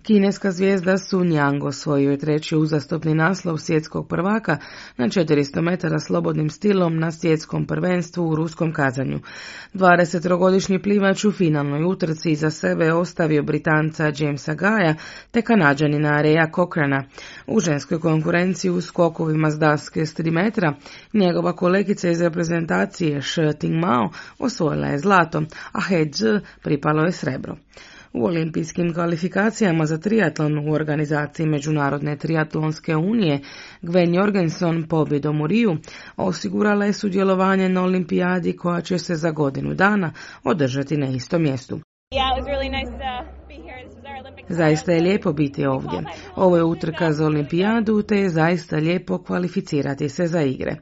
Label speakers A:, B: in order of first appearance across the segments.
A: Kineska zvijezda Sun Yang osvojio je treći uzastopni naslov svjetskog prvaka na 400 metara slobodnim stilom na svjetskom prvenstvu u ruskom Kazanju. 23-godišnji plivač u finalnoj utrci iza sebe ostavio Britanca Jamesa Gaya te Kanađanina Reya Cochrana. U ženskoj konkurenciji u skokovima s daske s 3 metra njegova kolegica iz reprezentacije Shi Tingmao osvojila je zlato, a He Zhi pripalo je srebro. U olimpijskim kvalifikacijama za triatlon u organizaciji Međunarodne triatlonske unije Gwen Jorgenson pobjedom u Riju osigurala je sudjelovanje na olimpijadi koja će se za godinu dana održati na istom mjestu. Zaista je lijepo biti ovdje. Ovo je utrka za olimpijadu te je zaista lijepo kvalificirati se za igre.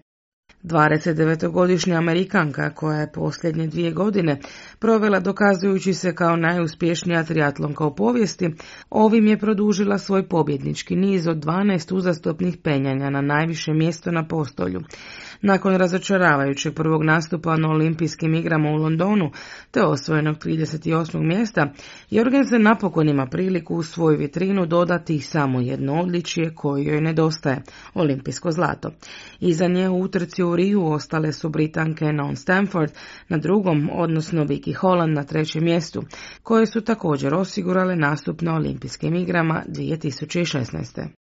A: 29-godišnja Amerikanka koja je posljednje 2 godine provela dokazujući se kao najuspješnija triatlonka u povijesti, ovim je produžila svoj pobjednički niz od 12 uzastopnih penjanja na najviše mjesto na postolju. Nakon razočaravajućeg prvog nastupa na olimpijskim igrama u Londonu te osvojenog 38. mjesta, Jorgensen napokon ima priliku u svoju vitrinu dodati samo jedno odličje koje joj nedostaje, olimpijsko zlato. Iza nje u utrci u Riju ostale su Britanke Non Stamford na drugom, odnosno Vicky Holland na trećem mjestu, koje su također osigurale nastup na olimpijskim igrama 2016.